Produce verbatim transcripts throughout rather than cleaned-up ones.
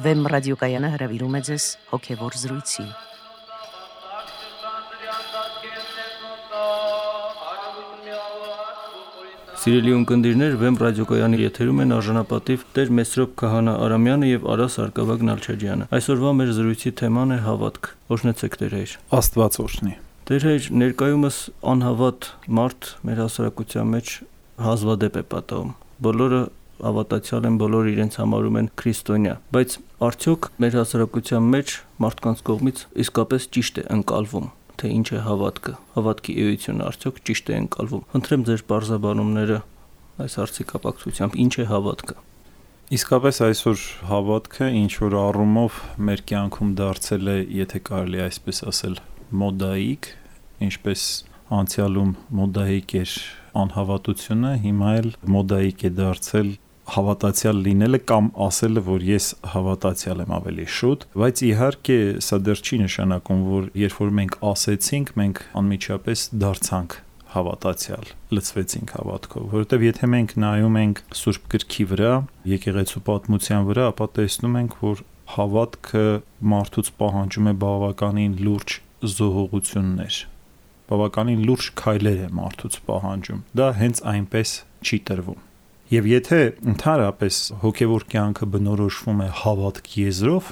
Վեմ ռադիոկայանը հրավիրում է ձեզ հոգևոր զրույցի։ Սիրելի ունկնդիրներ, Վեմ ռադիոկայանի եթերում են արժանապատիվ Տեր Մեսրոպ Քահանա Արամյանը եւ Արաս Արկավագ Նալչաջյանը։ Այսօրվա մեր զրույցի թեման է հավատք։ Օրհնեցեք Տեր Հայր։ Աստված օրհնի։ Տեր Հայր, ներկայումս անհավատ մարդ մեր հասարակության մեջ հազվադեպ է պատահում։ Բոլորը հավատացյալ են, բոլորը իրենց համարում են քրիստոնյա, բայց արդյոք մեր հասարակության մեջ մարդկանց կողմից իսկապես ճիշտ է ընկալվում, թե ինչ է հավատքը, հավատքի էությունը արդյոք ճիշտ է ընկալվում։ Խնդրեմ ձեր բարձրաբանումները այս հարցի կապակցությամբ, ինչ է հավատքը։ Իսկապես այսօր հավատքը ինչ որ առումով մեր կյանքում դարձել է, եթե կարելի այսպես ասել, մոդայիկ, ինչպես անցյալում մոդայիկ էր անհավատությունը, հիմա էլ մոդայիկ է դարձել հավատացյալ լինելը կամ ասելը, որ ես հավատացյալ եմ ավելի շուտ, բայց իհարկե սա դեռ չի նշանակում, որ երբ որ մենք ասեցինք, մենք անմիջապես դարձանք հավատացյալ, լցվեցինք հավատքով, որովհետև եթե մենք նայում ենք Սուրբ Գրքի վրա, եկեղեցու պատմության վրա, ապա տեսնում ենք, որ հավատքը մարդուց պահանջում է բավականին լուրջ զոհողություններ, բավականին լուրջ քայլեր է մարդուց պահանջում, դա հենց այնպես չի տրվում։ Եվ եթե ընդհանրապես հոգևոր կյանքը բնորոշվում է հավատք եզրով,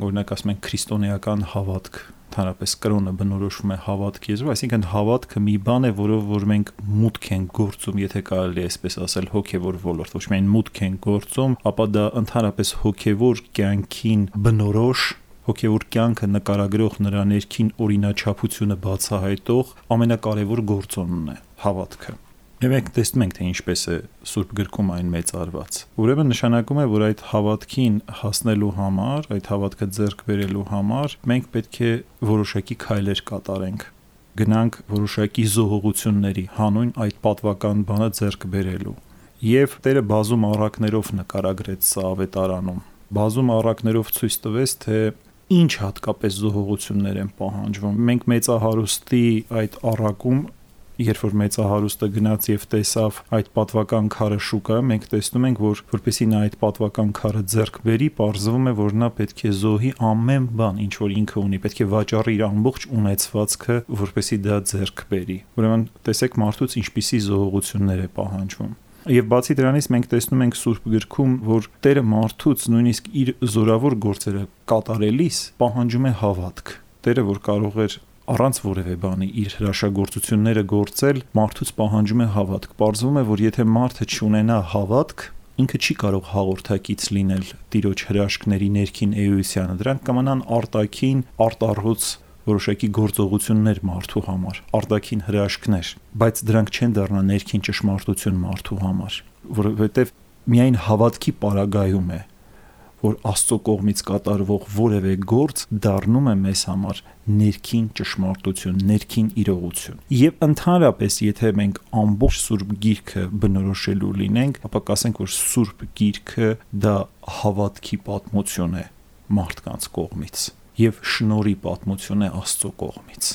օրինակ ասում ենք քրիստոնեական հավատք, ընդհանրապես կրոնը բնորոշվում է հավատք եզրով, այսինքն հավատքը մի բան է, որով որ մենք մուտք ենք գործում, եթե կարելի է այսպես ասել, հոգևոր ոլորտ, ոչ միայն մուտք ենք գործում, ապա դա ընդհանրապես հոգևոր կյանքին բնորոշ, հոգևոր կյանքը նկարագրող նրա ներքին օրինաչափությունը բացահայտող ամենակարևոր գործոնն է հավատքը։ Եվ մենք տեսնում ենք, թե ինչպես է Սուրբ Գրքում այն մեծարված։ Ուրեմն նշանակում է, որ այդ հավատքին հասնելու համար, այդ հավատքը ձեռք բերելու համար մենք պետք է որոշակի քայլեր կատարենք, գնանք որոշակի զոհողությունների հանուն այդ պատվական բանը ձեռք բերելու։ Եվ Տերը բազում առակներով նկարագրեց սա ավետարանում։ Բազում առակներով ցույց տվեց, թե ինչ հատկապես զոհողություններ են պահանջվում։ Մենք մեծահարուստի այդ առակում, երբ որ մեծահարուստը գնաց եւ տեսավ այդ պատվական քարը շուկայում, մենք տեսնում ենք, որ որպեսզի նա այդ պատվական քարը ձեռք բերի, պարզվում է, որ նա պետք է զոհի ամեն բան, ինչ որ ինքը ունի, պետք է վաճառի իր ամբողջ ունեցվածքը, որպեսզի դա ձեռք բերի։ Ուրեմն տեսեք մարդուց ինչպիսի զոհողություններ է պահանջվում։ Եվ բացի դրանից մենք տեսնում ենք Սուրբ Գրքում, որ Տերը մարդուց նույնիսկ իր զորավոր գործերը կատարելիս պահանջում է հավատք։ Տերը, որ կարող էր առանց որևէ բանի իր հրաշագործությունները գործել, մարդուց պահանջում է հավատք։ Պարզվում է, որ եթե մարդը չունենա հավատք, ինքը չի կարող հաղորդակից լինել Տիրոջ հրաշքների ներքին էությանը։ Դրանք կմնան արտաքին, արտառոց որոշակի գործողություններ մարդու համար, արտաքին հրաշքներ, բայց դրանք չեն դառնա ներքին ճշմարտություն մարդու համար, որովհետև միայն հավատքի պարագայում է, որ Աստծո կողմից կատարվող որևէ գործ դառնում է մեզ համար ներքին ճշմարտություն, ներքին իրողություն։ Եվ ընդհանրապես, եթե մենք ամբողջ Սուրբ Գիրքը բնորոշելու լինենք, ապա կասենք, որ Սուրբ Գիրքը դա հավատքի պատմություն է մարդկանց կողմից եւ շնորհի պատմություն է Աստծո կողմից։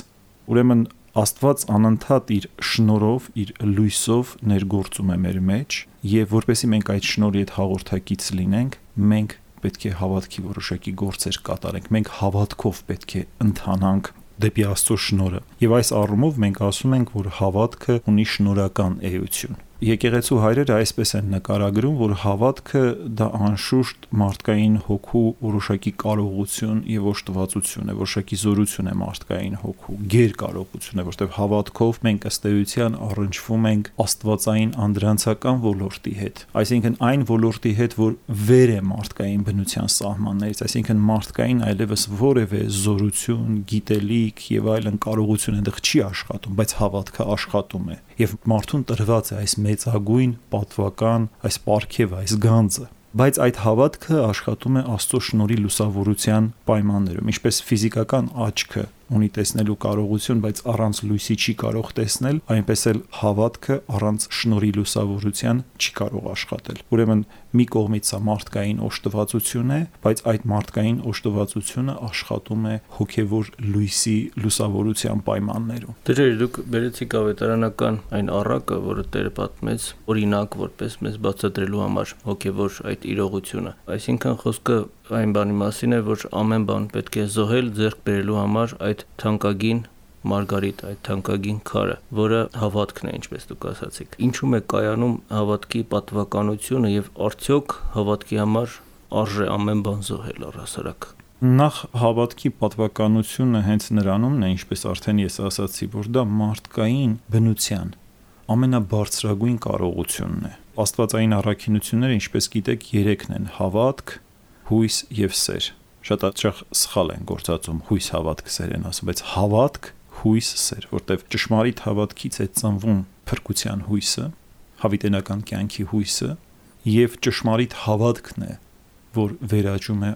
Ուրեմն Աստված անընդհատ իր շնորհով, իր լույսով ներգործում է մեր մեջ, եւ որպեսզի մենք այդ շնորհի հետ հաղորդակից լինենք, մենք պետք է հավատքի որոշակի գործեր կատարենք։ Մենք հավատքով պետք է ընթանանք դեպի Աստծո շնորհը։ Եվ այս առումով մենք ասում ենք, որ հավատքը ունի շնորհական էություն։ Եկեղեցու հայրերը այսպես են նկարագրում, որ հավատքը դա անշուշտ մարդկային հոգու որոշակի կարողություն եւ օժտվածություն է, որոշակի զորություն է մարդկային հոգու, գերկարողություն է, որտեղ հավատքով մենք ըստ էության առնչվում ենք աստվածային անդրանցական ոլորտի հետ, այսինքն այն ոլորտի հետ, որ վեր է մարդկային բնության սահմաններից, այսինքն մարդկային այլևս որևէ զորություն, գիտելիք եւ այլն կարողություն այնտեղ չի աշխատում, բայց հավատքը աշխատում է եւ մարդուն տրված է այս մեծագույն պատվական այս պարգև, այս գանձը, բայց այդ հավատքը աշխատում է Աստծո շնորհի լուսավորության պայմաններում, ինչպես ֆիզիկական աչքը ունի տեսնելու կարողություն, բայց առանց լույսի չի կարող տեսնել, այնպես էլ հավատքը առանց շնորհի լուսավորության չի կարող աշխատել։ Ուրեմն մի կողմից սա մարդկային օժտվածություն է, բայց այդ մարդկային օժտվածությունը աշխատում է հոգևոր լույսի լուսավորության պայմաններում։ Դեր դուք բերեցիք ավետարանական այն առակը, որը Տերը պատմեց, օրինակ որպես մեզ բացատրելու համար հոգևոր այդ իրողությունը։ Այսինքն խոսքը այն բանի մասին է, որ ամեն բան պետք է զոհել ձեռք բերելու համար այդ թանկագին մարգարիտ, այդ թանկագին քարը, որը հավատքն է, ինչպես դուք ասացիք։ Ինչու՞մ է կայանում հավատքի պատվականությունը եւ արդյոք հավատքի համար արժե ամեն բան զոհել առհասարակ։ Նախ հավատքի պատվականությունը հենց նրանումն է, ինչպես արդեն ես ասացի, որ դա մարդկային բնության ամենաբարձրագույն կարողությունն է։ Աստվածային առաքինությունները, ինչպես գիտեք, երեքն են՝ հավատք, հույս եւ սեր։ Շատ հաճախ սխալ են գործածում հույս, հավատք, սեր են ասում, բայց հավատք, հույս, սեր, որտեղ ճշմարիտ հավատքից է ծնվում փրկության հույսը, հավիտենական կյանքի հույսը, եւ ճշմարիտ հավատքն է, որ վերաճում է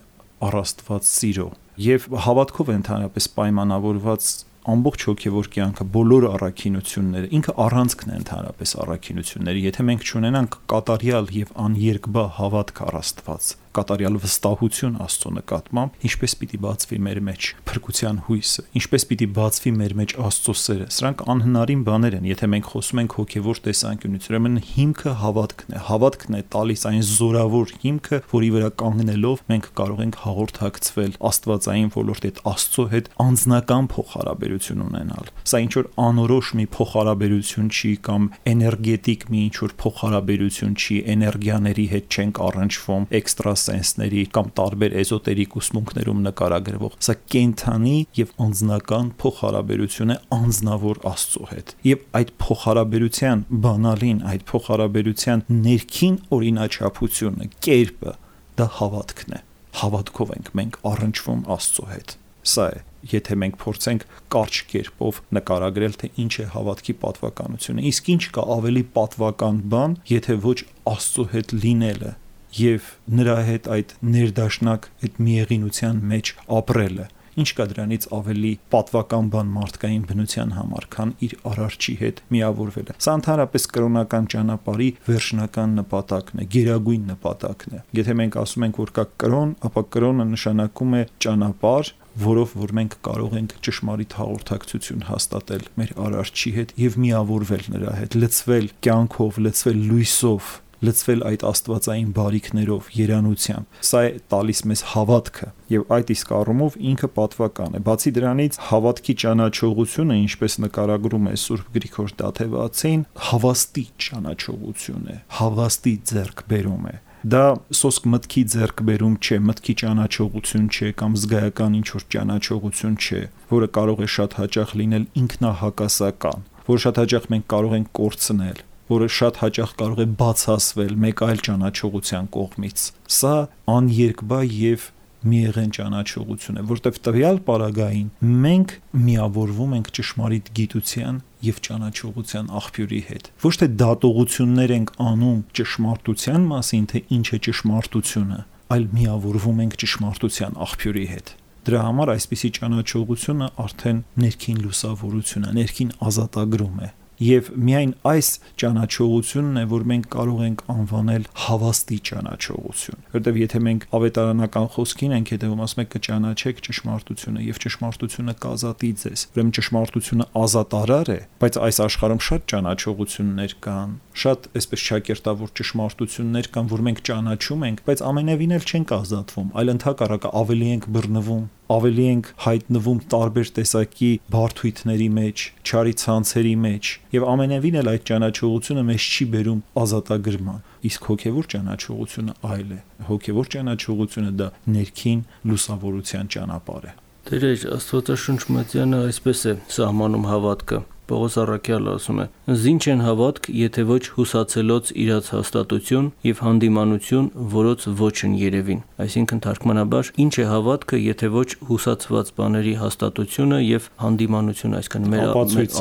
առ Աստված սիրո, եւ հավատքով ընդհանրապես պայմանավորված ամբողջ հոգևոր կյանքը, բոլոր առաքինությունները, ինքը առանցքն է ընդհանրապես առաքինությունների, եթե մենք չունենանք կատարյալ եւ աներկբա հավատք առ Աստված, կատարյալ վստահություն Աստծո նկատմամբ, ինչպես պիտի բացվի մեր մեջ փրկության հույսը, ինչպես պիտի բացվի մեր մեջ Աստծո սերը։ Սրանք անհնարին բաներ են, եթե մենք խոսում ենք հոգևոր տեսանկյունից, ուրեմն հիմքը հավատքն է, հավատքն է տալիս այն զորավոր հիմքը, որի վրա կանգնելով մենք կարող ենք հաղորդակցվել աստվածային ոլորտի հետ, Աստծո հետ անձնական փոխհարաբերություն ունենալ։ Սա ինչ որ անորոշ մի փոխհարաբերություն չի կամ էներգետիկ մի ինչ որ փոխհարաբերություն չի, էներգիաների հետ չենք առնչվում, էքստրա սենսների կամ տարբեր էզոտերիկ ուսմունքներում նկարագրվող, սա կենթանի եւ անձնական փոխհարաբերություն է անձնավոր Աստծո հետ։ Եվ այդ փոխհարաբերության բանալին, այդ փոխհարաբերության ներքին օրինաչափությունը, կերպը, դա հավատքն է։ Հավատքով ենք մենք առնչվում Աստծո հետ։ Սա է, եթե մենք փորձենք կարճ կերպով նկարագրել, թե ինչ է հավատքի պատվականությունը, իսկ ինչ կա ավելի պատվական բան, եթե ոչ Աստծո հետ լինելը եւ նրա հետ այդ ներդաշնակ այդ միեղինության մեջ ապրելը, ինչ կա դրանից ավելի պատվական բան մարդկային բնության համար, քան իր արարչի հետ միավորվելը։ Սա ընդհանրապես կրոնական ճանապարհի վերջնական նպատակն է, գերագույն նպատակն է։ Եթե մենք ասում ենք, որ կա կրոն, ապա կրոնը նշանակում է ճանապարհ, որով որ մենք կարող ենք ճշմարիտ հաղորդակցություն հաստատել մեր արարչի հետ եւ միավորվել նրա հետ, լցվել կյանքով, լցվել լույսով, լցվել այդ աստվածային բարիքներով, երանությամբ։ Սա է տալիս մեզ հավատքը եւ այդ իսկ առումով ինքը պատվական է։ Բացի դրանից, հավատքի ճանաչողությունը, ինչպես նկարագրում է Սուրբ Գրիգոր Դաթևացին, հավաստի ճանաչողություն է, հավաստի ձեռքբերում է։ Դա սոսկ մտքի ձեռքբերում չէ, մտքի ճանաչողություն չէ կամ զգայական ինչ-որ ճանաչողություն չէ, որը կարող է շատ հաճախ լինել ինքնահակասական, որը շատ հաճախ մենք կարող ենք կորցնել, որը շատ հաճախ կարող է բացասվել մեկ այլ ճանաչողության կողմից։ Սա աներկբա եւ միեղեն ճանաչողություն է, որտեղ տվյալ պարագային մենք միավորվում ենք ճշմարիտ գիտության եւ ճանաչողության աղբյուրի հետ։ Ոչ թե դատողություններ ենք անում ճշմարտության մասին, թե ինչ է ճշմարտությունը, այլ միավորվում ենք ճշմարտության աղբյուրի հետ։ Դրա համար այսպիսի ճանաչողությունը արդեն ներքին լուսավորություն է, ներքին ազատագրում է։ Եվ միայն այս ճանաչողությունն է, որ մենք կարող ենք անվանել հավաստի ճանաչողություն, որտեղ եթե մենք ավետարանական խոսքին ենք հետևում, ասում ենք կճանաչեք ճշմարտությունը եւ ճշմարտությունը կազատի ձեզ, ուրեմն ճշմարտությունը ազատարար է, բայց այս աշխարհում շատ ճանաչողություններ կան, շատ այսպես շակերտավոր ճշմարտություններ կան, որ մենք ճանաչում ենք, բայց ամենևին էլ չենք ազատվում, այլ ընդհակառակը ավելի ենք բռնվում, ավելի ենք հայտնվում տարբեր տեսակի բարդույթների մեջ, չարի ցանցերի մեջ, եւ ամենևին էլ այդ ճանաչողությունը մեզ չի բերում ազատագրման։ Իսկ հոգեվոր ճանաչողությունը այլ է։ Հոգեվոր ճանաչողությունը դա ներքին լուսավորության ճանապարհ է։ Տեր Աստվածաշունչ Մատյանը այսպես է սահմանում հավատքը։ Պողոս առաքյալը ասում է. «Զինչ են հավատք, եթե ոչ հուսացելոց իրաց հաստատություն եւ հանդիմանություն, որոց ոչ են երևին»։ Այսինքն թարգմանաբար, ինչ է հավատքը, եթե ոչ հուսացված բաների հաստատությունը եւ հանդիմանությունը, այսինքն մեր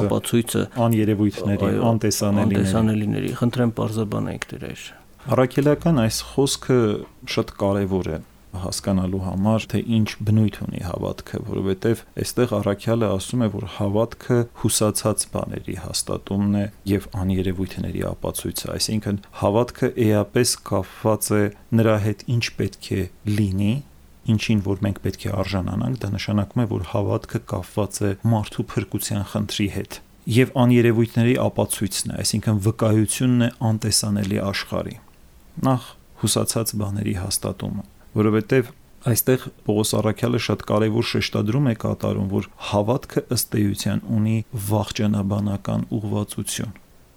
ապացույցը աներևույթների, անտեսանելիների։ Անտեսանելիների։ Խնդրեմ բարձրաբանեք Տեր։ Առաքելական այս խոսքը շատ կարեւոր է հասկանալու համար, թե ինչ բնույթ ունի հավատքը, որովհետև այստեղ առաքյալը ասում է, որ հավատքը հուսացած բաների հաստատումն է եւ աներևույթների ապացույցը, այսինքն հավատքը էապես կապված է նրա հետ ինչ պետք է լինի, ինչին որ մենք պետք է արժանանանք, դա նշանակում է, որ հավատքը կապված է մարդու փրկության խնդրի հետ եւ աներևույթների ապացույցն է, այսինքն վկայությունն է անտեսանելի աշխարհի։ Նախ հուսացած բաների հաստատումը, որովհետև Այստեղ Պողոս Առաքյալը շատ կարևոր շեշտադրում է կատարում, որ հավատքը ըստ էության ունի վախճանաբանական ուղղվածություն,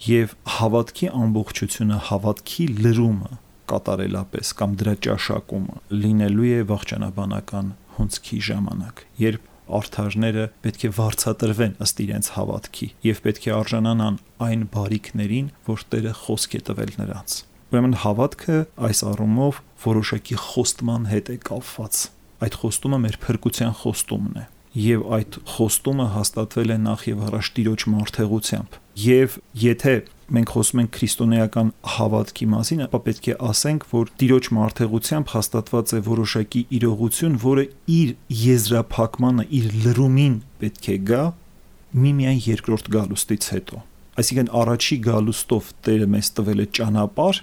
եւ հավատքի ամբողջությունը, հավատքի լրումը կատարելապես կամ դրա ճաշակումը լինելու է վախճանաբանական հունցքի ժամանակ, երբ արդարները պետք է վարձատրվեն ըստ իրենց հավատքի եւ պետք է արժանանան այն բարիքներին, որ Տերը խոսք է տվել նրանց։ Ուրեմն հավատքը այս առումով որոշակի խոստման հետ է կապված։ Այդ խոստումը մեր փրկության խոստումն է, եւ այդ խոստումը հաստատվել է նախ եւ առաջ Տիրոջ մարտհեղությամբ։ Եվ եթե մենք խոսում ենք քրիստոնեական հավատքի մասին, ապա պետք է ասենք, որ Տիրոջ մարտհեղությամբ հաստատված է որոշակի իրողություն, որը իր եզրափակմանը, իր լրումին պետք է գա միմիայն երկրորդ գալուստից հետո։ Այսինքն առաջի գալուստով Տերը մեզ տվել է ճանապարհ,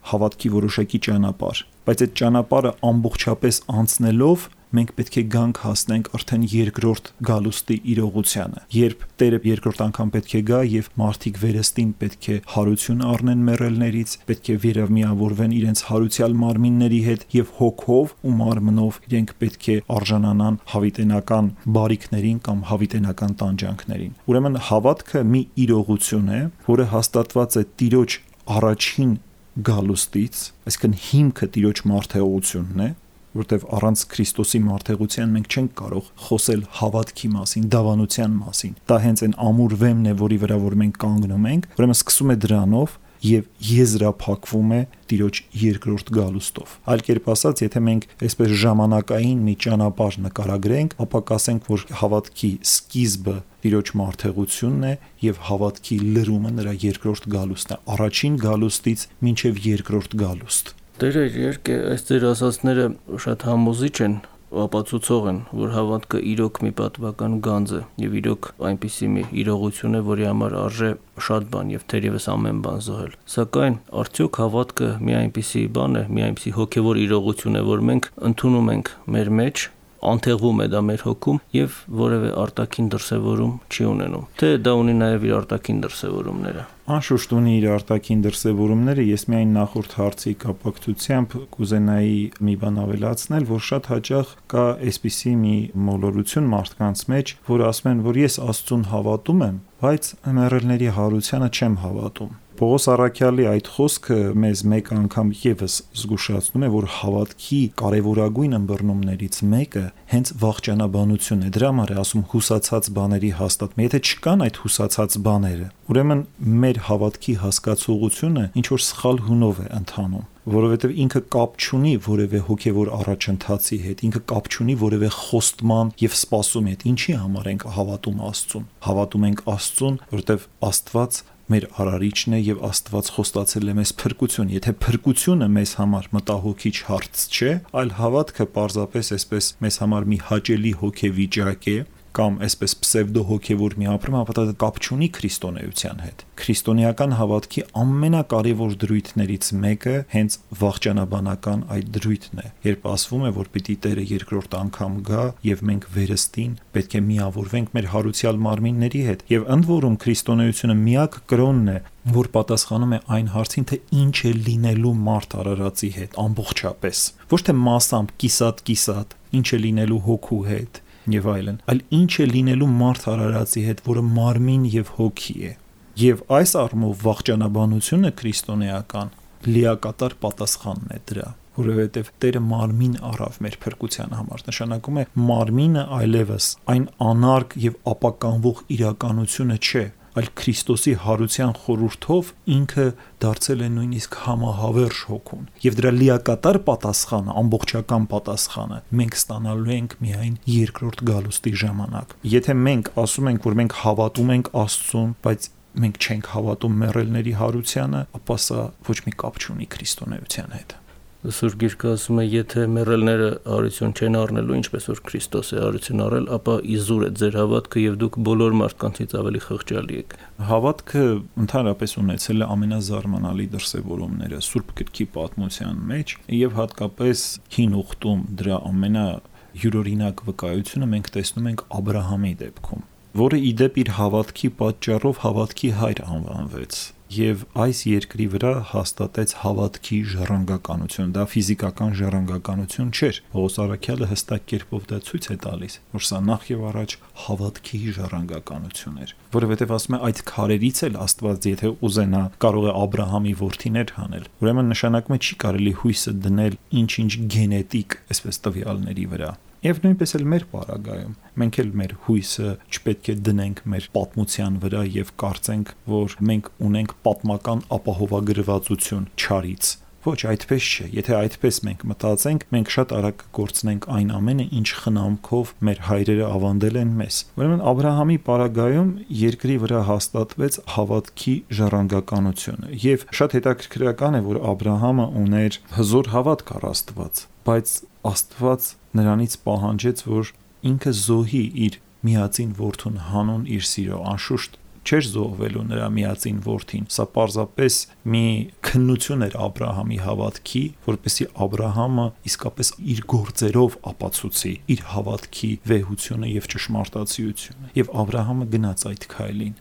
հավատքի որոշակի ճանապարհ, բայց այդ ճանապարհը ամբողջապես անցնելով մենք պետք է գանք հասնենք արդեն երկրորդ գալուստի իրողությանը, երբ Տերը երկրորդ անգամ պետք է գա եւ մարդիկ վերստին պետք է հարություն առնեն մեռելներից, պետք է վերամիավորվեն իրենց հարուցյալ մարմինների հետ եւ հոգով ու մարմնով իրենք պետք է արժանանան հավիտենական բարիքներին կամ հավիտենական տանջանքներին։ Ուրեմն հավատքը մի իրողություն է, որը հաստատված է Տիրոջ առաջին գալուստից, այսինքն հիմքը Տիրոջ մարտհեղությունն է, որտեվ առանց Քրիստոսի մարտհեղության մենք չենք կարող խոսել հավատքի մասին, դավանության մասին։ Դա հենց այն ամուր վեմն է, որի վրա որ մենք կանգնում ենք, ուրեմն սկսում է դրանով եւ եզրափակվում է Տիրոջ երկրորդ գալուստով։ Այլ կերպ ասած, եթե մենք այսպես ժամանակային մի ճանապարհ նկարագրենք, ապա կասենք, որ հավատքի սկիզբը Տիրոջ մարտհեղությունն է եւ հավատքի լրումը նրա երկրորդ գալուստն է, առաջին գալուստից մինչեւ երկրորդ գալուստ։ Տերը իհարկե այս ձեր ասածները շատ համոզիչ են, ապացուցող են, որ հավատքը իրոք մի պատվական գանձ է եւ իրոք այնպիսի մի իրողություն է, որի համար արժե շատ բան եւ թերևս ամեն բան զոհել։ Սակայն արդյոք հավատքը մի այնպիսի բան է, մի այնպիսի հոգեվոր իրողություն է, որ մենք ընդունում ենք մեր մեջ, անթեղվում է դա մեր հոգում եւ որևէ արտաքին դրսևորում չի ունենում։ Թե դա ունի նաեւ իր արտաքին դրսևորումները։ Անշուշտ ունի իր արտաքին դրսևորումները, ես միայն նախորդ հարցի կապակցությամբ կուզենայի մի բան ավելացնել, որ շատ հաճախ կա այսպիսի մի մոլորություն մարդկանց մեջ, որ ասում են, որ ես Աստծուն հավատում եմ, բայց մեռելների հարությանը չեմ հավատում։ Պողոս Առաքյալի այդ խոսքը մեզ մեկ անգամ եւս զգուշացնում է, որ հավատքի կարևորագույն ըմբռնումներից մեկը հենց վախճանաբանությունն է։ Դրա համար է ասում հուսացած բաների հաստատում։ Եթե չկան այդ հուսացած բաները, ուրեմն մեր հավատքի հասկացողությունը ինչ որ սխալ հունով է ընթանում, որովհետև ինքը կապ չունի որևէ հոգևոր առաջընթացի հետ, ինքը կապ չունի որևէ խոստման եւ սպասումի հետ։ Ինչի համար ենք հավատում Աստծուն։ Հավատում ենք Աստծուն, որովհետև Աստված մեր արարիչն է եւ Աստված խոստացել է մեզ փրկություն։ Եթե փրկությունը մեզ համար մտահոգիչ հարց չէ, այլ հավատքը պարզապես այսպես մեզ համար մի հաճելի հոգեվիճակ է, կամ այսպես պսևդո հոգևոր մի ապրում, ապա դա կապ չունի քրիստոնեության հետ։ Քրիստոնեական հավատքի ամենակարևոր դրույթներից մեկը հենց վախճանաբանական այդ դրույթն է, երբ ասվում է, որ պիտի Տերը երկրորդ անգամ գա եւ մենք վերստին պետք է միավորվենք մեր հարուցյալ մարմինների հետ։ Եվ ընդ որում քրիստոնեությունը միակ կրոնն է, որ պատասխանում է այն հարցին, թե ինչ է լինելու մարդ արարածի հետ ամբողջապես։ Ոչ թե մասամբ կիսատ-կիսատ, ինչ է լինելու հոգու հետ եւ այլն, այլ ինչ է լինելու մարդ արարածի հետ, որը մարմին եւ հոգի է։ Եվ այս առումով վախճանաբանությունը քրիստոնեական լիակատար պատասխանն է դրա, որովհետեւ Տերը մարմին առավ մեր փրկության համար, նշանակում է մարմինը այլևս այն անարգ եւ ապականվող իրականությունը չէ, այլ Քրիստոսի հարության խորհրդով ինքը դարձել է նույնիսկ համահավերժ հոգուն։ Եվ դրա լիակատար պատասխանը, ամբողջական պատասխանը մենք ստանալու ենք միայն երկրորդ գալուստի ժամանակ։ Եթե մենք ասում ենք, որ մենք հավատում ենք Աստծուն, բայց մենք չենք հավատում մեռելների հարությանը, ապա սա ոչ մի կապ չունի քրիստոնեության հետ։ Սուրբ Գիրքը ասում է, եթե մեռելները հարություն չեն առնելու, ինչպես որ Քրիստոս է հարություն առել, ապա իզուր է ձեր հավատքը եւ դուք բոլոր մարդկանցից ավելի խղճալի եք։ Հավատքը ընդհանրապես ունեցել է ամենազարմանալի դրսևորումները Սուրբ Գրքի պատմության մեջ եւ հատկապես Հին Ուխտում դրա ամենահյուրօրինակ վկայությունը մենք տեսնում ենք Աբրահամի դեպքում, որը իդեպ իր հավատքի պատճառով հավատքի հայր անվանվեց։ եւ այս երկրի վրա հաստատեց հավատքի ժառանգականություն։ Դա ֆիզիկական ժառանգականություն չէր։ Պողոս առաքյալը հստակ կերպով դա ցույց է տալիս, որ սա նախ եւ առաջ հավատքի ժառանգականություն էր, որովհետեւ ասում է այդ քարերից էլ Աստված եթե ուզենա կարող է Աբրահամի որդիներ հանել։ Ուրեմն նշանակում է չի կարելի հույսը դնել ինչ-ինչ գենետիկ, այսպես տվյալների վրա։ Եվ նույնպես էլ մեր պարագայում մենք էլ մեր հույսը չպետք է դնենք մեր պատմության վրա եւ կարծենք, որ մենք ունենք պատմական ապահովագրվածություն չարից։ Ոչ, այդպես չէ։ Եթե այդպես մենք մտածենք, մենք շատ արագ կկորցնենք այն ամենը, ինչ խնամքով մեր հայրերը ավանդել են մեզ։ Ուրեմն Աբրահամի պարագայում երկրի վրա հաստատվեց հավատքի ժառանգականությունը։ Եվ շատ հետաքրքրական է, որ Աբրահամը ուներ հզոր հավատք առ Աստված, բայց Աստված նրանից պահանջեց, որ ինքը զոհի իր միածին որդուն հանուն իր սիրո, անշուշտ չէր զոհվելու նրա միածին որդին։ Սա պարզապես մի քննություն էր Աբրահամի հավատքի, որպեսզի Աբրահամը իսկապես իր գործերով ապացուցի իր հավատքի վեհությունը եւ ճշմարտացիությունը։ Եվ Աբրահամը գնաց այդ քայլին։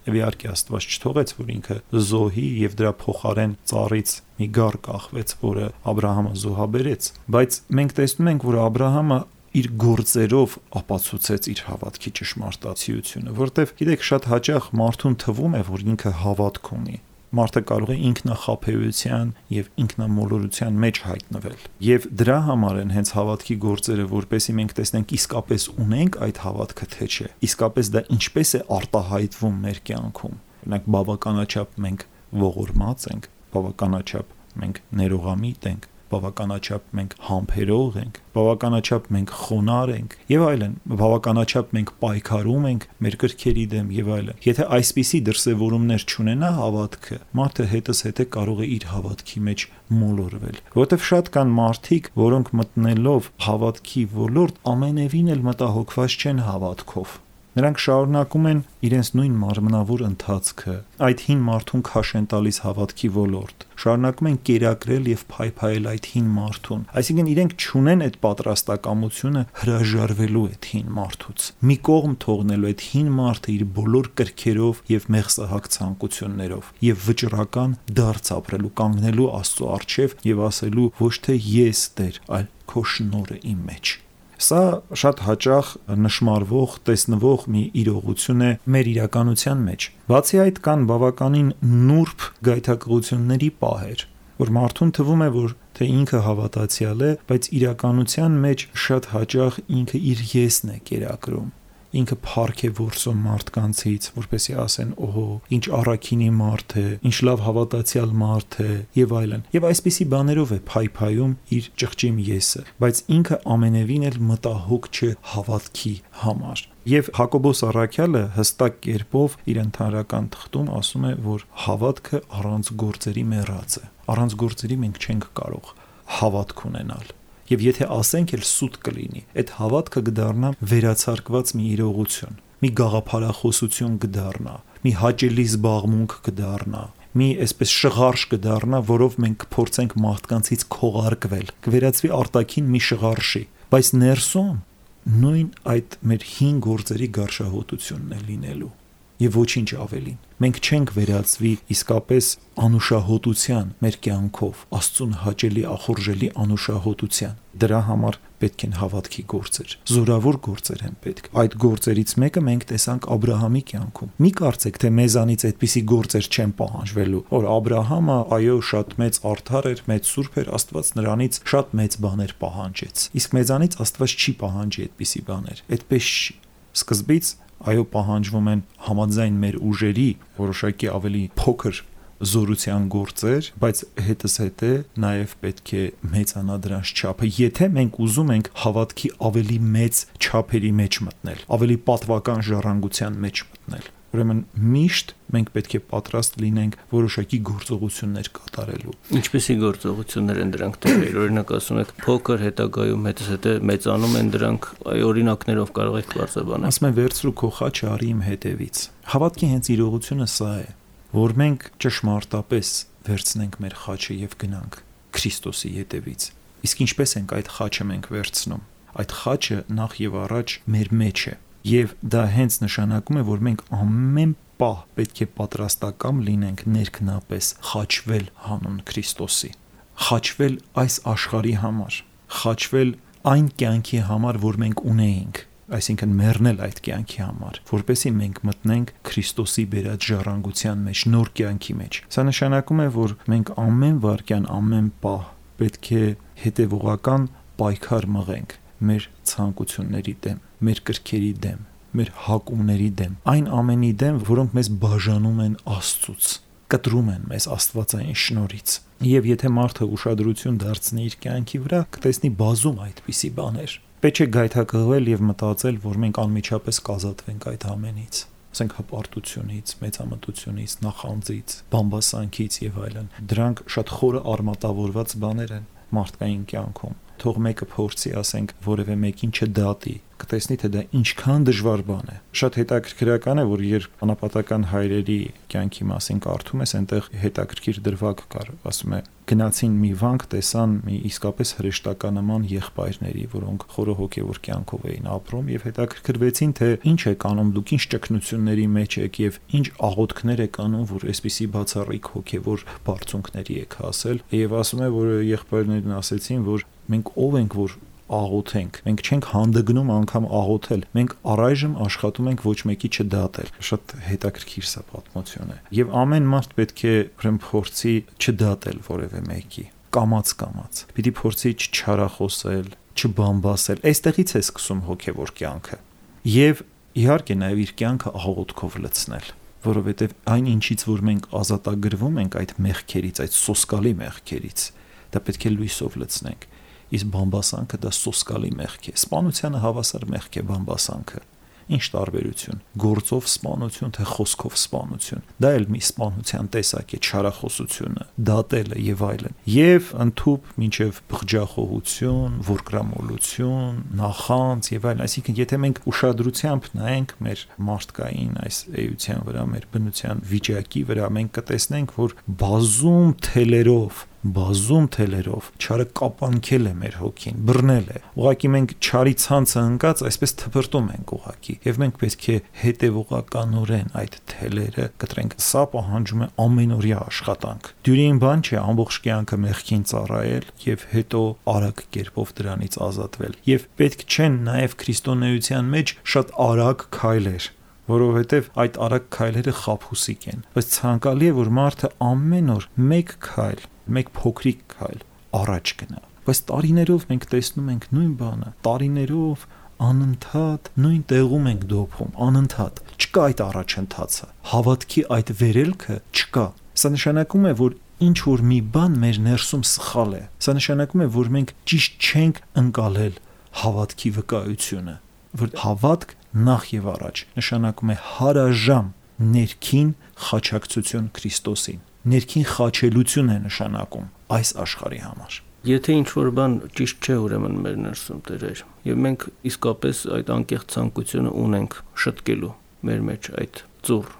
Եվ իհարկե Աստված չթողեց, որ ինքը զոհի եւ դրա փոխարեն ծառից մի գառ կախվեց, որը Աբրահամը զոհաբերեց, բայց մենք տեսնում ենք, որ Աբրահամը իր գործերով ապացուցեց իր հավատքի ճշմարտացիությունը, որտեղ գիտեք շատ հաճախ մարդուն թվում է, որ ինքը հավատք ունի։ Մարդը կարող է ինքնախաբեության եւ ինքնամոլորության մեջ հայտնվել։ Եվ դրա համար են հենց հավատքի գործերը, որպեսզի մենք տեսնենք իսկապես ունենք այդ հավատքը թե չէ։ Իսկապես դա ինչպես է արտահայտվում մեր կյանքում։ Օրինակ բավականաչափ մենք ողորմած ենք, բավականաչափ մենք ներողամիտ ենք, բավականաչափ մենք համբերող ենք, բավականաչափ մենք խոնարհ ենք եւ այլն, բավականաչափ մենք պայքարում ենք մեր կրքերի դեմ եւ այլն։ Եթե այսպիսի դրսևորումներ չունենա հավատքը, մարդը հետս հետե կարող է իր հավատքի մեջ մոլորվել, որովհետեւ շատ կան մարդիկ, որոնք մտնելով հավատքի ոլորտ ամենևին էլ մտահոգված չեն հավատքով։ Նրանք շարունակում են իրենց նույն մարմնավոր ընթացքը, այդ հին մարդուն քաշ են տալիս հավատքի ոլորտ, շարունակում են կերակրել եւ փայփայել այդ հին մարդուն, այսինքն իրենք չունեն այդ պատրաստակամությունը հրաժարվելու այդ հին մարդուց, մի կողմ թողնելու այդ հին մարդը իր բոլոր կրքերով եւ մեղսահակ ցանկություններով եւ վճռական դարձ ապրելու, կանգնելու Աստծո առջև եւ ասելու ոչ թե ես Տեր, այլ քո շնորհը իմ մեջ։ Սա շատ հաճախ նշմարվող, տեսնվող մի իրողություն է մեր իրականության մեջ։ Բացի այդ կան բավականին նուրբ գայթակղությունների պահեր, որ մարդուն թվում է, որ թե ինքը հավատացյալ է, բայց իրականության մեջ շատ հաճախ ինքը իր եսն է կերակրում։ Ինքը փառք է որսում մարդկանցից, որպեսզի ասեն, օհո, ինչ առաքինի մարդ է, ինչ լավ հավատացյալ մարդ է եւ այլն։ Եվ այսպիսի բաներով է փայփայում իր ճղճիմ եսը, բայց ինքը ամենևին էլ մտահոգ չէ հավատքի համար։ Եվ Հակոբոս առաքյալը հստակ կերպով իր ընդհանրական թղթում ասում է, որ հավատքը առանց գործերի մեռած է։ Առանց գործերի մենք չենք կարող հավատք ունենալ։ Եվ եթե ասենք էլ սուտ կլինի, այդ հավատքը կդառնա վերացարկված մի իրողություն, մի գաղափարախոսություն կդառնա, մի հաճելի զբաղմունք կդառնա, մի այսպես շղարշ կդառնա, որով մենք կփորձենք մարդկանցից քողարկվել, կվերածվի արտաքին մի շղարշի, բայց ներսում նույն այդ մեր հին գործերի գարշահոտությունն է լինելու։ Եվ ոչինչ ավելին։ Մենք չենք վերածվի իսկապես անուշահոտության մեր կյանքով, Աստծուն հաճելի ախորժելի անուշահոտության։ Դրա համար պետք են հավատքի գործեր, զորավոր գործեր են պետք։ Այդ գործերից մեկը մենք տեսանք Աբրահամի կյանքում։ Մի կարծեք, թե մեզանից այդպիսի գործեր չեն պահանջվելու, որ Աբրահամը այո շատ մեծ արդար էր, մեծ սուրբ էր, Աստված նրանից շատ մեծ բաներ պահանջեց։ Իսկ մեզանից Աստված չի պահանջի այդպիսի բաներ։ Այդպես չի։ Սկզբից այո պահանջվում են համաձայն մեր ուժերի որոշակի ավելի փոքր զորության գործեր, բայց հետս հետե նաև պետք է մեծանա դրանց չափը, եթե մենք ուզում ենք հավատքի ավելի մեծ չափերի մեջ մտնել, ավելի պատվական ժառանգության մեջ մտնել։ Ուրեմն միշտ մենք պետք է պատրաստ լինենք որոշակի գործողություններ կատարելու։ Ինչպիսի գործողություններ են դրանք տվել։ Օրինակ ասում եք փոքր հետագայում հետս հետե մեծանում են դրանք, այ օրինակներով կարող եք բարձրաբանել։ Ասում են վերցրու քո խաչը արի իմ հետևից։ Հավատքի հենց իրողությունը սա է, որ մենք ճշմարտապես վերցնենք մեր խաչը եւ գնանք Քրիստոսի հետևից։ Իսկ ինչպես ենք այդ խաչը մենք վերցնում։ Այդ խաչը նախ եւ առաջ մեր մեջ է։ Եվ դա հենց նշանակում է, որ մենք ամեն պահ պետք է պատրաստակամ լինենք ներքնապես խաչվել հանուն Քրիստոսի, խաչվել այս աշխարհի համար, խաչվել այն կյանքի համար, որ մենք ունեինք, այսինքն մեռնել այդ կյանքի համար, որպեսզի մենք մտնենք Քրիստոսի բերած ժառանգության մեջ, նոր կյանքի մեջ։ Սա նշանակում է, որ մենք ամեն վայրկյան, ամեն պահ պետք է հետևողական պայքար մղենք մեր ցանկությունների դեմ, մեր կրքերի դեմ, մեր հակումների դեմ, այն ամենի դեմ, որոնք մեզ բաժանում են Աստծուց, կտրում են մեզ աստվածային շնորհից։ Եվ եթե մարդը ուշադրություն դարձնի իր կյանքի վրա, կտեսնի բազում այդպիսի բաներ։ Պետք է գայթակղվել եւ մտածել, որ մենք անմիջապես կազատվենք այդ ամենից, ասենք հպարտությունից, մեծամտությունից, նախանձից, բամբասանքից եւ այլն։ Դրանք շատ խորը արմատավորված բաներ են մարդկային կյանքում։ Թող մեկը փորձի, ասենք, որևէ մեկին չդատի, կտեսնի, թե դա ինչքան դժվար բան է։ Շատ հետաքրքրական է, որ երբ անապատական հայրերի կյանքի մասին կարդում ես, այնտեղ հետաքրքիր դրվագ կար, ասում է, գնացին մի վանք, տեսան մի իսկապես հրեշտականման եղբայրների, որոնք խորը հոգևոր կյանքով էին ապրում եւ հետաքրքրվեցին, թե ինչ եք անում դուք, ինչ ճգնությունների մեջ եք եւ ինչ աղոթքներ եք անում, որ այսպիսի բացառիկ հոգևոր բարձունքների եք հասել։ Եվ ասում է, որ եղբայրներն ասեցին, որ մենք ով ենք, որ աղոթենք, մենք չենք հանդգնում անգամ աղոթել, մենք առայժմ աշխատում ենք ոչ մեկի չդատել։ Շատ հետաքրքիր սա պատմություն է։ Եվ ամեն մարդ պետք է ուրեմն փորձի չդատել որևէ մեկի, կամաց-կամաց։ Պիտի փորձի չչարախոսել, չբամբասել։ Այստեղից է սկսում հոգևոր կյանքը։ Եվ իհարկե նաև իր կյանքը աղոթքով լցնել, որովհետև այն ինչից որ մենք ազատագրվում ենք այդ մեղքերից, այդ սոսկալի մեղքերից, դա պետք է լույսով լցնենք։ Իսկ բամբասանքը դա սոսկալի մեղք է։ Սպանությանը հավասար մեղք է բամբասանքը։ Ինչ տարբերություն։ Գործով սպանություն, թե խոսքով սպանություն։ Դա էլ մի սպանության տեսակ է, չարախոսությունը, դատելը եւ այլն։ Եվ ընդհուպ մինչեւ բղջախոհություն, որկրամոլություն, նախանձ եւ այլն։ Այսինքն, եթե մենք ուշադրությամբ նայենք մեր մարդկային այս էության վրա, մեր բնության վիճակի վրա, մենք կտեսնենք, որ բազում թելերով բազում թելերով չարը կապանքել է մեր հոգին, բռնել է։ Ուղղակի մենք չարի ցանցը ընկած այսպես թփրտում ենք ուղղակի, եւ մենք պետք է հետեւողականորեն այդ թելերը կտրենք։ Սա պահանջում է ամենօրյա աշխատանք։ Դյուրին բան չէ ամբողջ կյանքը մեղքին ծառայել եւ հետո արագ կերպով դրանից ազատվել։ Եվ պետք չեն նաեւ քրիստոնեության մեջ շատ արագ քայլեր, որովհետև այդ արագ քայլերը խաբուսիկ են։ Բայց ցանկալի է, որ մարդը ամեն օր մեկ քայլ, մեկ փոքրիկ քայլ առաջ գնա։ Բայց տարիներով մենք տեսնում ենք նույն բանը, տարիներով անընդհատ նույն տեղում ենք դոփում, անընդհատ։ Չկա այդ առաջընթացը, հավատքի այդ վերելքը չկա։ Սա նշանակում է, որ ինչ որ մի բան մեր ներսում սխալ է։ Սա նշանակում է, որ մենք ճիշտ չենք ընկալել հավատքի վկայությունը, որ հավատք նախ եւ առաջ նշանակում է հարաժամ ներքին խաչակցություն Քրիստոսին։ Ներքին խաչելություն է նշանակում այս աշխարհի համար։ Եթե ինչ որ բան ճիշտ չէ, ուրեմն մեր ներսում Տեր, եւ մենք իսկապես այդ անկեղծ ցանկությունը ունենք շտկելու մեր մեջ այդ ծուռ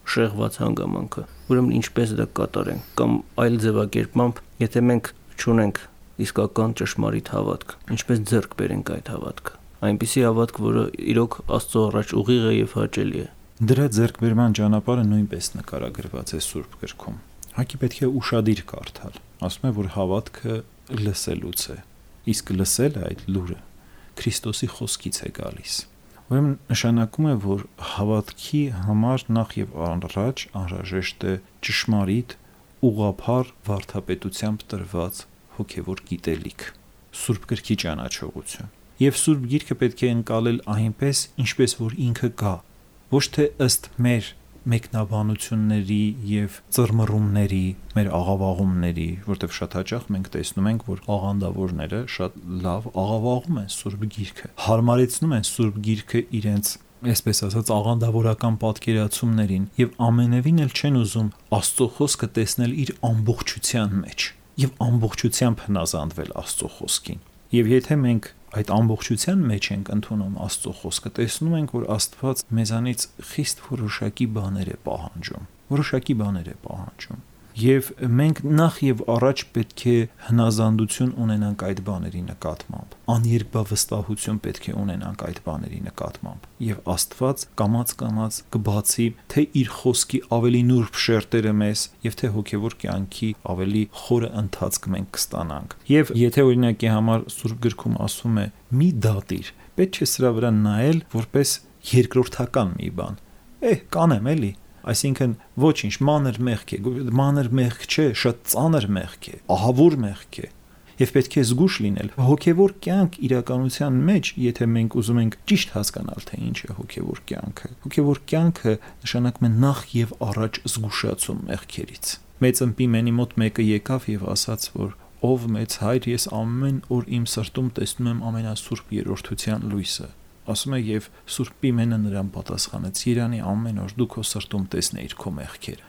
շեղված հանգամանքը, ուրեմն ինչպես դա կատարենք, կամ այլ ձևակերպմամբ, եթե մենք չունենք իսկական ճշմարիտ հավատք, ինչպես ձեռք բերենք այդ հավատքը, այնպիսի հավատք, որը իրոք Աստծո առաջ ուղիղ է եւ հաճելի է։ Դրա ձեռքբերման ճանապարհը նույնպես նկարագրված է Սուրբ գրքում։ Հակի պետք է ուշադիր կարդալ։ Ասում է, որ հավատքը լսելուց է, իսկ լսելը այդ լուրը Քրիստոսի խոսքից է գալիս։ Ուրեմն նշանակում է, որ հավատքի համար նախ եւ առաջ անհրաժեշտ է ճշմարիտ, ուղղափառ վարդապետությամբ տրված հոգեվոր գիտելիք, Սուրբ գրքի ճանաչողություն։ Եվ Սուրբ գիրքը պետք է ընկալել այնպես, ինչպես որ ինքը կա, ոչ թե ըստ մեր մեկնաբանությունների եւ ծռմռումների, մեր աղավաղումների, որտեղ շատ հաճախ մենք տեսնում ենք, որ աղանդավորները շատ լավ աղավաղում են Սուրբ գիրքը, հարմարեցնում են Սուրբ գիրքը իրենց, այսպես ասած, աղանդավորական պատկերացումներին եւ ամենևին էլ չեն ուզում Աստծո խոսքը տեսնել իր ամբողջության մեջ եւ ամբողջությամբ հնազանդվել Աստծո խոսքին։ Եվ եթե մենք այդ ամբողջության մեջ ենք ընդունում Աստծո խոսքը, տեսնում ենք, որ Աստված մեզանից խիստ որոշակի բաներ է պահանջում, որոշակի բաներ է պահանջում։ Եվ մենք նախ եւ առաջ պետք է հնազանդություն ունենանք այդ բաների նկատմամբ, աներկբավստահություն պետք է ունենանք այդ բաների նկատմամբ, եւ Աստված կամաց-կամաց կբացի թե իր խոսքի ավելի նուրբ շերտերը մեզ, եւ թե հոգեվոր կյանքի ավելի խորը ընթացք մենք կստանանք։ Եվ եթե օրինակի համար Սուրբ գրքում ասում է՝ մի դատիր, պետք չէ սրա վրա նայել որպես երկրորդական մի բան։ Էհ, կանեմ էլի։ Այսինքն ոչինչ, մանր մեղք է, մանր մեղք չէ, շատ ծանր մեղք է, ահավոր մեղք է։ Եվ պետք է զգուշ լինել։ Հոգևոր կյանք իրականության մեջ, եթե մենք ուզում ենք ճիշտ հասկանալ, թե ինչ է հոգևոր կյանքը, հոգևոր կյանքը նշանակում է նախ եւ առաջ զգուշացում մեղքերից։ Մեծ ըմպիմենի մոտ մեկը եկավ եւ ասաց, որ ով մեծ հայր, ես ամեն օր իմ սրտում տեսնում եմ ամենասուրբ երրորդության լույսը։ Ասում է եւ Սուրբ Պիմենը նրան պատասխանեց. Երանի ամեն օր դու քո սրտում տեսնեիր քո մեղքերը,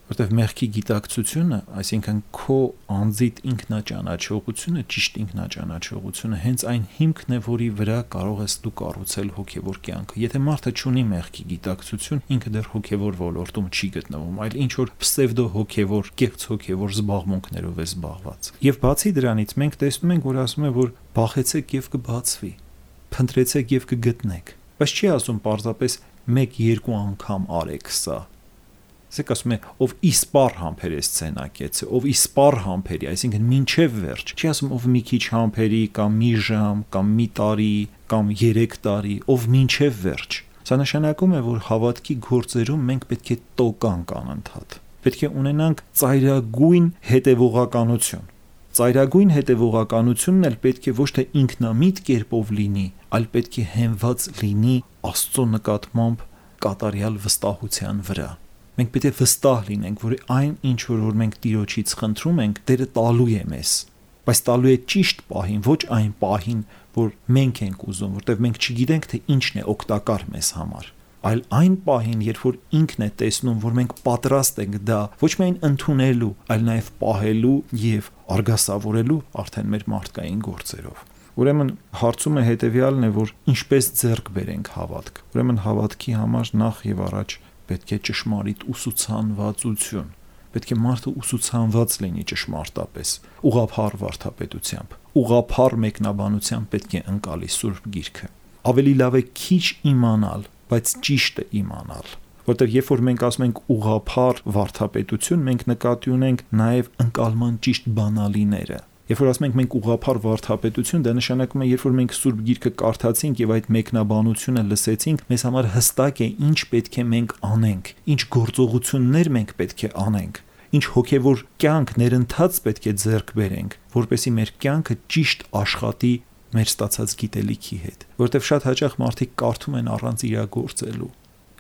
որտեղ մեղքի գիտակցությունը, այսինքն քո անձիդ ինքնաճանաչողությունը, ճիշտ ինքնաճանաչողությունը հենց այն հիմքն է, որի վրա կարող ես դու կառուցել հոգևոր կյանքը։ Եթե մարդը չունի մեղքի գիտակցություն, ինքը դեռ հոգևոր ոլորտում չի գտնվում, այլ ինչ որ պսևդո հոգևոր, կեղծ հոգևոր զբաղմունքներով է զբաղված։ Եվ բացի դրանից մենք տեսնում ենք, որ ասում է, որ բախեցեք եւ կբացվի, փնտրեցեք եւ կգտնեք, բայց չի ասում պարզապես մեկ-երկու անգամ արեք սա։ Սեք ասում է, ով իսպար համբեր է սցենակեցը, ով իսպար համբերի, այսինքն մինչև վերջ, չի ասում ով մի քիչ համբերի կամ մի ժամ կամ մի տարի կամ երեք տարի, ով մինչև վերջ։ Սա նշանակում է, որ հավատքի գործերում մենք պետք է տոկանք անընդհատ։ Պետք է ունենանք ծայրագույն հետևողականություն։ Ծայրագույն հետևողականությունն էլ պետք է ոչ թե ինքնամիտ կերպով լինի, այլ պետք է հենված լինի Աստծո նկատմամբ կատարյալ վստահության վրա։ Մենք պետք է վստահ լինենք, որ այն ինչ որ մենք Տիրոջից խնդրում ենք, Տերը տալու է մեզ, բայց տալու է ճիշտ պահին, ոչ այն պահին, որ մենք ենք ուզում, որտեղ մենք չգիտենք, թե ինչն է օգտակար մեզ համար, այլ այն պահին, երբ որ ինքն է տեսնում, որ մենք պատրաստ ենք դա ոչ միայն ընդունելու, այլ նաև պահելու եւ արգասավորելու արդեն մեր մարդկային գործերով։ Ուրեմն հարցումը հետեւյալն է, որ ինչպես ձեռք բերենք հավատք։ Ուրեմն հավատքի համար նախ եւ առաջ պետք է ճշմարիտ ուսուցանվածություն։ Պետք է մարդը ուսուցանված լինի ճշմարտապես, ուղղափառ վարդապետությամբ, ուղղափառ մեկնաբանությամբ պետք է ընկալի Սուրբ Գիրքը։ Ավելի լավ է քիչ իմանալ, բայց ճիշտը իմանալ, որտեղ երբ որ մենք ասում ենք ուղղափառ վարդապետություն, մենք նկատի ունենք նաև ընկալման ճիշտ բանալիները։ Երբ որ ասում ենք մենք ուղղափառ վարդապետություն, դա նշանակում է, երբ որ մենք Սուրբ Գիրքը կարդացինք եւ այդ մեկնաբանությունը լսեցինք, մեզ համար հստակ է ինչ պետք է մենք անենք, ինչ գործողություններ մենք պետք է անենք, ինչ հոգեվոր կյանք ներընթաց պետք է ձեռք բերենք, որպեսզի մեր կյանքը ճիշտ աշխատի մեր ստացած գիտելիքի հետ, որտեղ շատ հաճախ մարդիկ կարդում են առանց իրագործելու։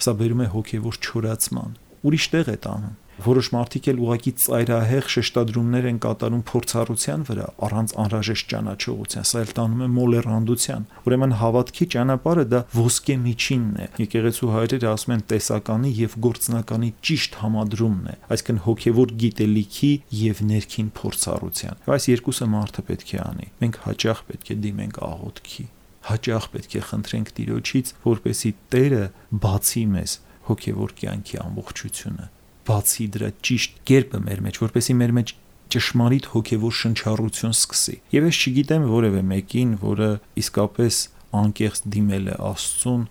Սա բերում է հոգևոր չորացման, ուրիշ տեղ է տանում։ Որոշ մարդիկ էլ ուղղակի ծայրահեղ շեշտադրումներ են կատարում փորձառության վրա, առանց անհրաժեշտ ճանաչողության, սա էլ տանում է մոլեռանդության։ Ուրեմն հավատքի ճանապարհը դա ոսկե միջինն է։ Եկեղեցու հայրերը ասում են տեսականի եւ գործնականի ճիշտ համադրումն է, այսինքն հոգևոր գիտելիքի եւ ներքին փորձառության։ Այս երկուսը մարդը պետք է անի։ Մենք հաճախ պետք է դիմենք աղոթքի, հաճախ պետք է խնդրենք Տիրոջից, որպեսզի Տերը բացի մեզ հոգևոր կյանքի ամբողջությունը, բացի դրա ճիշտ կերպը մեր մեջ, որպեսզի մեր մեջ ճշմարիտ հոգևոր շնչառություն սկսի։ Եվ ես չգիտեմ որևէ մեկին, որը իսկապես անկեղծ դիմել է Աստծուն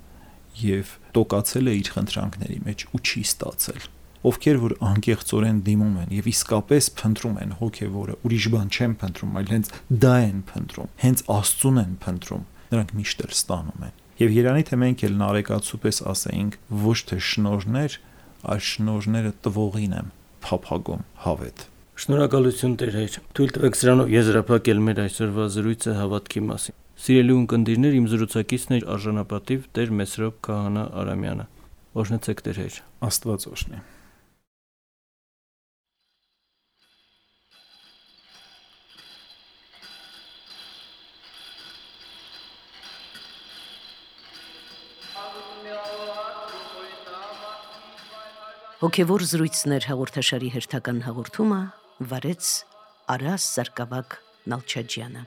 եւ տոկացել է իր խնդրանքների մեջ ու չի ստացել։ Ովքեր որ անկեղծորեն դիմում են եւ իսկապես փնտրում են հոգևորը, ուրիշ բան չեն փնտրում, այլ հենց դա են փնտրում, հենց Աստծուն են փնտրում, նրանք միշտ էլ ստանում են։ Եվ երանի թե մենք էլ նարեկացու պես ասեինք, ոչ թե շնորհներ, այլ շնորհները տվողին եմ փափագում հավետ։ Շնորհակալություն Տեր Հայր։ Թույլ տվեք սրանով եզրափակել մեր այսօրվա զրույցը հավատքի մասին։ Սիրելի ունկնդիրներ, իմ զրուցակիցն էր արժանապատիվ Տեր Մեսրոպ Քահանա Արամյանը։ Օրհնեցեք Տեր Հայր։ Աստված օրհնի։ Հոգևոր զրույցներ հաղորդաշարի հերթական հաղորդումը վարեց Արաս Սարգսակ Նալչաջյանը։